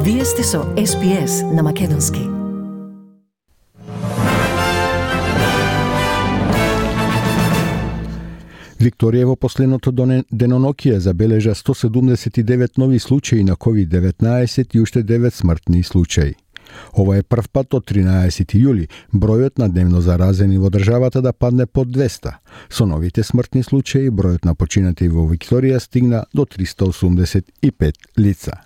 Вие сте со SPS на Македонски. Викторија во последното денонокие забележа 179 нови случаи на COVID-19 и уште 9 смртни случаи. Ова е прв пат од 13 јули бројот на дневно заразени во државата да падне под 200. Со новите смртни случаи бројот на починати во Викторија стигна до 385 лица.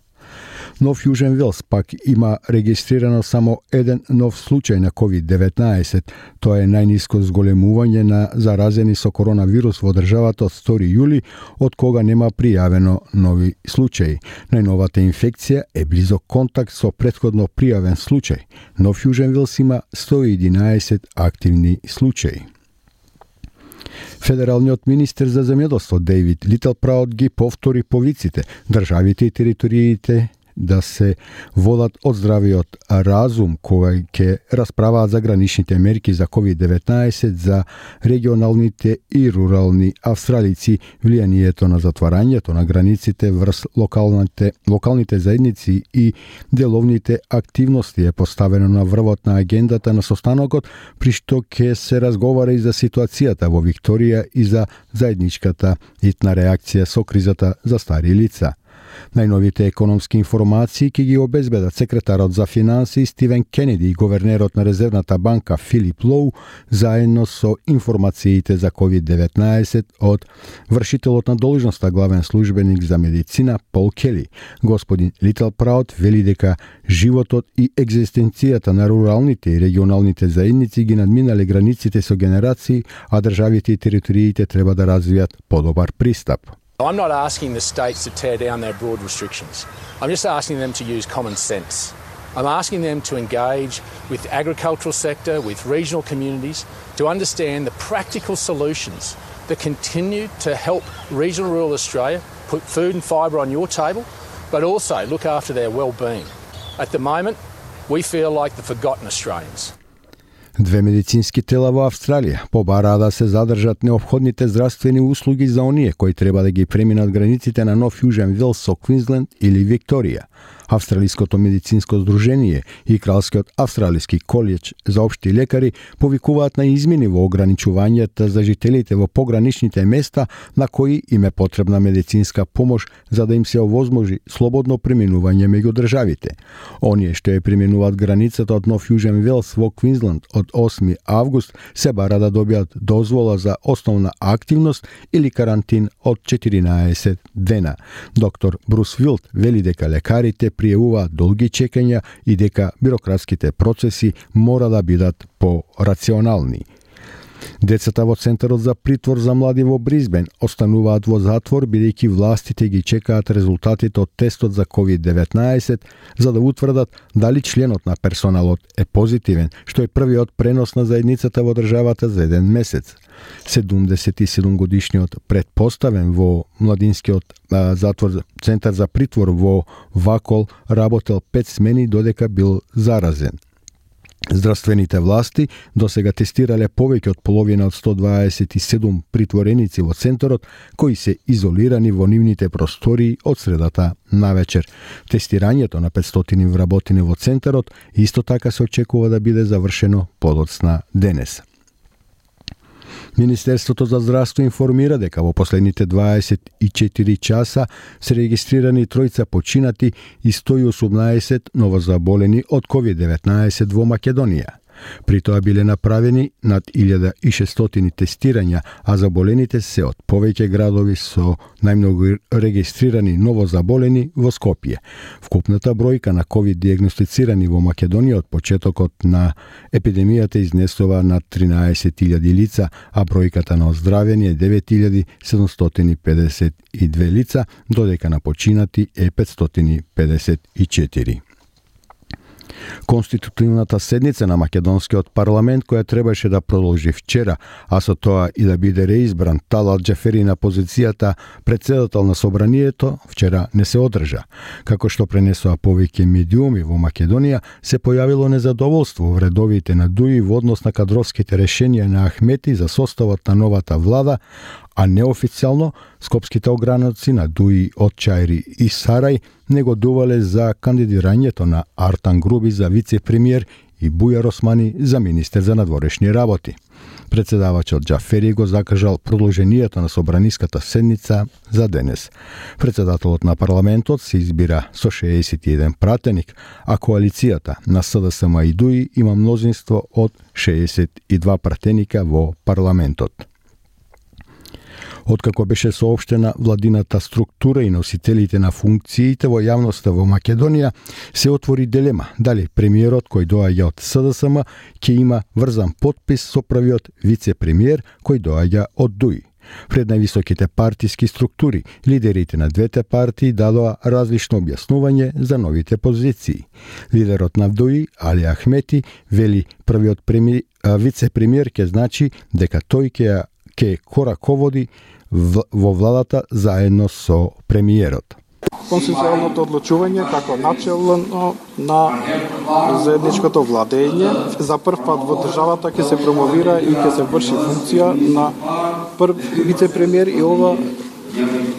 Нов Јужен Велс пак има регистрирано само еден нов случај на COVID-19. Тоа е најниско зголемување на заразени со коронавирус во државата од 2 јули, од кога нема пријавено нови случаи. Најновата инфекција е близок контакт со претходно пријавен случај. Нов Јужен Велс има 111 активни случаи. Федералниот министер за земјоделство Дејвид Литлпраут ги повтори повиците државите и териториите да се водат од здравиот разум кој ќе расправаат за граничните мерки за COVID-19 за регионалните и рурални австралици, влијанието на затварањето на границите врз локалните заедници и деловните активности е поставено на врвот на агендата на состанокот, при што ќе се разговара и за ситуацијата во Викторија и за заедничката итна реакција со кризата за стари лица. Најновите економски информации ќе ги обезбедат секретарот за финансии Стивен Кенеди и говернерот на Резервната банка Филип Лоу, заедно со информациите за COVID-19 од вршителот на должноста главен службеник за медицина Пол Кели. Господин Литлпраут вели дека животот и екзистенцијата на руралните и регионалните заедници ги надминале границите со генерации, а државите и териториите треба да развијат подобар пристап. I'm not asking the states to tear down their broad restrictions. I'm just asking them to use common sense. I'm asking them to engage with the agricultural sector, with regional communities, to understand the practical solutions that continue to help regional rural Australia put food and fibre on your table, but also look after their well-being. At the moment, we feel like the forgotten Australians. Две медицински тела во Австралија побараа да се задржат неопходните здравствени услуги за оние кои треба да ги преминат границите на Нов Јужен Велс со Квинсленд или Викторија. Австралиското медицинско здружение и Кралскиот австралиски колеџ за општи лекари повикуваат на измени во ограничувањата за жителите во пограничните места на кои им е потребна медицинска помош за да им се овозможи слободно преминување меѓу државите. Оние што ја преминуваат границата од Нов Јужен Велс во Квинсленд од 8 август се бара да добијат дозвола за основна активност или карантин од 14 дена. Доктор Брус Вилт вели дека лекарите пријавуваат долги чекања и дека бирократските процеси мора да бидат по-рационални. Децата во Центарот за притвор за млади во Бризбен остануваат во затвор бидејќи властите ги чекаат резултатите од тестот за COVID-19 за да утврдат дали членот на персоналот е позитивен, што е првиот пренос на заедницата во државата за еден месец. 77-годишниот предпоставен во младинскиот затвор Центар за притвор во Вакол работел 5 смени додека бил заразен. Здравствените власти досега тестирале повеќе од половина од 127 притвореници во центарот кои се изолирани во нивните простории од средата навечер. Тестирањето на 500 вработени во центарот исто така се очекува да биде завршено подоцна денес. Министерството за здравство информира дека во последните 24 часа се регистрирани 3 починати и 118 новозаболени од COVID-19 во Македонија. При тоа биле направени над 1600 тестирања, а заболените се од повеќе градови со најмногу регистрирани новозаболени во Скопје. Вкупната бројка на COVID диагностицирани во Македонија од почетокот на епидемијата изнесува над 13.000 лица, а бројката на оздравени е 9.752 лица, додека на починати е 554. Конститутивната седница на македонскиот парламент, која требаше да продолжи вчера, а со тоа и да биде реизбран Талат Џафери на позицијата претседател на собранието, вчера не се одржа. Како што пренесоа повеќе медиуми во Македонија, се појавило незадоволство во редовите на ДУИ во однос на кадровските решенија на Ахмети за составот на новата влада, а неофицијално скопските ограници на Дуи од Чајри и Сарај не го дувале за кандидирањето на Артан Груби за вице-премиер и Бујар Османи за министер за надворешни работи. Председавачот Џафери го закажал продолжението на собраниската седница за денес. Председателот на парламентот се избира со 61 пратеник, а коалицијата на СДСМ и ДУИ има мнозинство од 62 пратеника во парламентот. Откако беше соопштена владината структура и носителите на функциите во јавноста во Македонија, се отвори дилема дали премиерот кој доаѓа од СДСМ ќе има врзан потпис со првиот вице-премиер кој доаѓа од ДУИ. Пред највисоките партиски структури, лидерите на двете партии дадоа различно објаснување за новите позиции. Лидерот на ДУИ, Али Ахмети, вели првиот вице-премиер ќе значи дека тој ќе кораководи во владата заедно со премиерот. Консенсуалното одлучување како начелно на заедничкото владење за прв пат во државата ќе се промовира и ќе се врши функција на прв вице-премиер и ова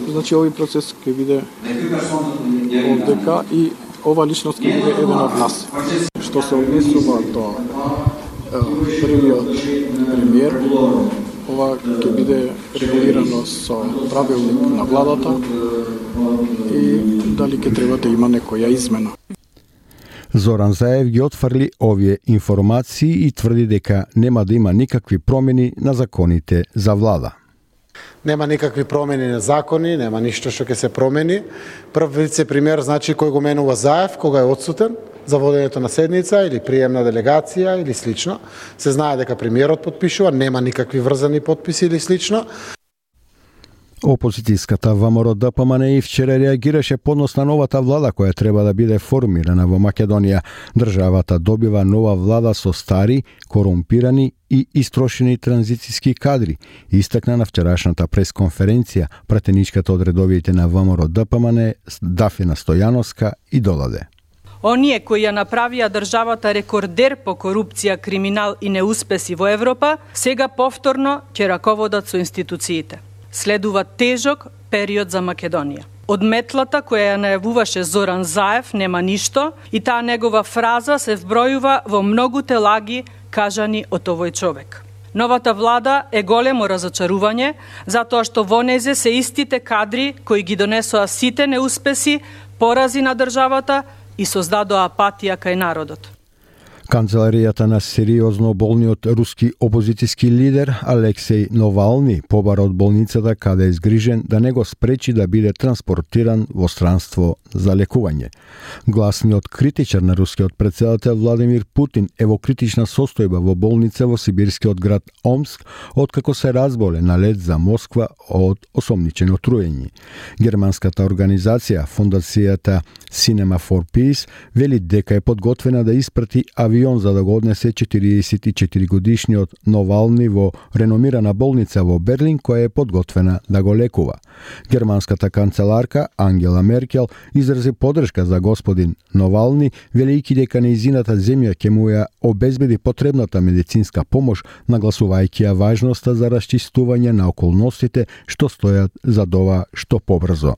значи овој процес ќе биде овдека и ова личност ќе биде еден од нас. Што се однесува до првиот премиер, ова ќе биде регулирано со правилник на владата и дали ќе треба да има некоја измена. Зоран Заев ги отфрли овие информации и тврди дека нема да има никакви промени на законите за влада. Нема никакви промени на закони, нема ништо што ќе се промени. Прв вице-премиер значи кој го менува Заев, кога е отсутен за водењето на седница или приемна делегација или слично. Се знае дека премиерот потпишува, нема никакви врзани потписи или слично. Опозицијската ВМРО ДПМН и вчера реагираше поднос на новата влада која треба да биде формирана во Македонија. Државата добива нова влада со стари, корумпирани и истрошени транзицијски кадри. Истакна на вчерашната пресконференција пратеничката од редовите на ВМРО ДПМН Дафина Стојановска и додаде. Оние кои ја направија државата рекордер по корупција, криминал и неуспеси во Европа, сега повторно ќе раководат со институциите. Следува тежок период за Македонија. Од метлата која ја најавуваше Зоран Заев нема ништо и таа негова фраза се вбројува во многуте лаги кажани од овој човек. Новата влада е големо разочарување, затоа што во незе се истите кадри кои ги донесоа сите неуспеси, порази на државата и создадоа апатија кај народот. Канцеларијата на сериозно болниот руски опозицијски лидер Алексеј Навални побара од болницата каде е згрижен да не го спречи да биде транспортиран во странство за лекување. Гласниот критичар на рускиот председател Владимир Путин е во критична состојба во болница во сибирскиот град Омск откако се разболе на лет за Москва од осомничено труење. Германската организација Фондацијата Cinema for Peace вели дека е подготвена да испрати авион за да го однесе 44 годишниот Навални во реномирана болница во Берлин која е подготвена да го лекува. Германската канцеларка Ангела Меркел изрази поддршка за господин Навални, велејќи дека нејзината земја ќе му ја обезбеди потребната медицинска помош, нагласувајќи ја важноста за расчистување на околностите што стојат за ова што побрзо.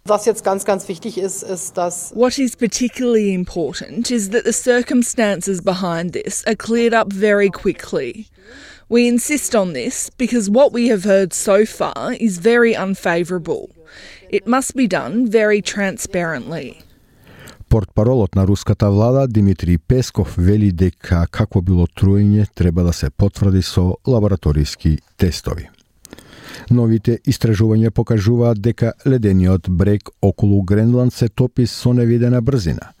Was jetzt ganz wichtig ist, dass what is particularly important is that the circumstances behind this are cleared up very quickly. We insist on this because what we have heard so far is very unfavourable. It must be done very transparently. Портпаролот на руската влада Димитри Песков вели дека какво било труење треба да се потврди со лабораториски тестови. Новите истражувања покажуваат дека ледениот брег околу Гренланд се топи со невидена брзина.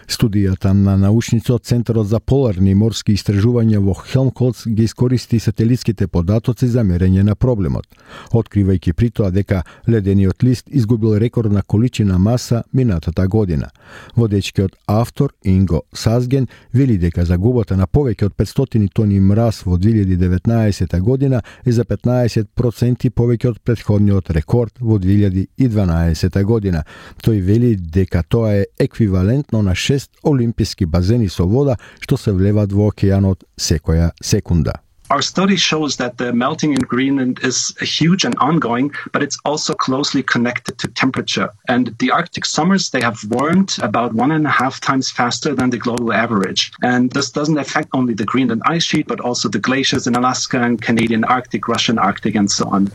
Студијата на научници од Центарот за поларни морски истражувања во Хелмхолц ги искористи сателитските податоци за мерење на проблемот, откривајќи при тоа дека ледениот лист изгубил рекордна количина маса минатата година. Водечкиот автор Инго Сазген вели дека загубата на повеќе од 500 тони мраз во 2019 година е за 15% повеќе од претходниот рекорд во 2012 година. Тој вели дека тоа е еквивалентно на 6 олимписки базени со вода што се влеват во океанот секоја секунда. Our study shows that the melting in Greenland is huge and ongoing, but it's also closely connected to temperature. And the Arctic summers, they have warmed about 1.5 times faster than the global average. And this doesn't affect only the Greenland ice sheet, but also the glaciers in Alaska and Canadian Arctic, Russian Arctic, and so on.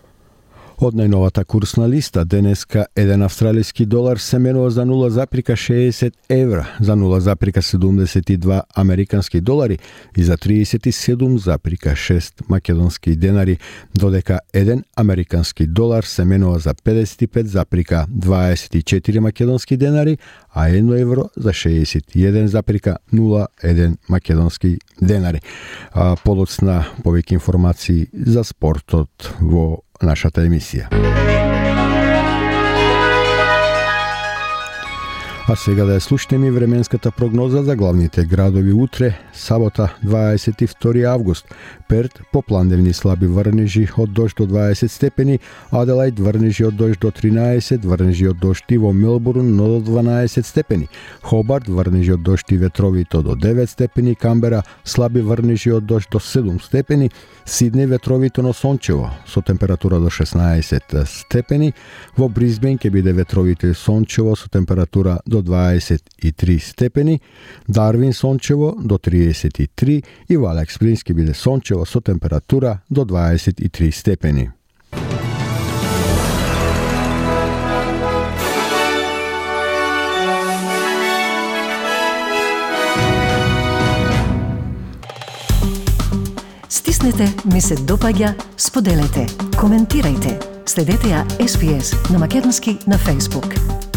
Од најновата курсна листа, денеска еден австралиски долар се менува за 0,60 евра, за 0,72 американски долари и за 37,6 македонски денари, додека еден американски долар се менува за 55,24 македонски денари, а 1 евро за 61,01 македонски денари. Подоцна повеќе информации за спортот во нашата емисија. А сега да ја слушнеме временската прогноза за главните градови утре, сабота 22 август. Перт попландевни слаби врнежи од дожд до 20 степени, Аделаид врнежи од дожд до 13, врнежи од дожд и во Мелбурн до 12 степени, Хобарт врнежи од дожд и ветровито до 9 степени, Камбера слаби врнежи од дожд до 7 степени, Сиднеј ветровито но сончево со температура до 16 степени, во Брисбен ќе биде ветровито и сончево со температура до 23 степени, Дарвин сончево до 33 и во Алекс Спрингс ќе биде сончево со температура до 23 степени. Стиснете, ми се допаѓа, споделете, коментирајте. Следете ја SPS на Македонски на Facebook.